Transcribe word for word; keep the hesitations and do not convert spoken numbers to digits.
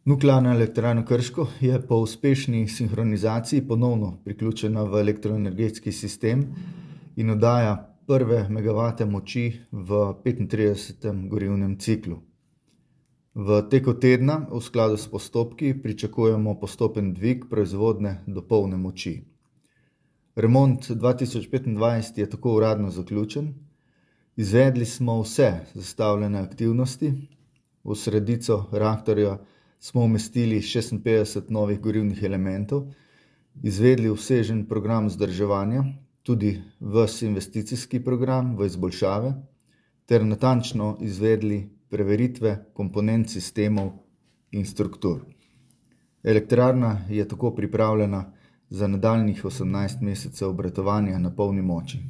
Nuklearna elektrarna Krško je po uspešni sinhronizaciji ponovno priključena v elektroenergetski sistem in oddaja prve megavate moči v petintridesetem gorivnem ciklu. V teku tedna v skladu s postopki pričakujemo postopen dvig proizvodnje do polne moči. Remont dva tisoč petindvajset je tako uradno zaključen. Izvedli smo vse zastavljene aktivnosti. V sredico reaktorja smo umestili šestinpetdeset novih gorivnih elementov, izvedli obsežen program vzdrževanja, tudi ves investicijski program v izboljšave ter natančno izvedli preveritve komponent sistemov in struktur. Elektrarna je tako pripravljena za nadaljnjih osemnajst mesecev obratovanja na polni moči.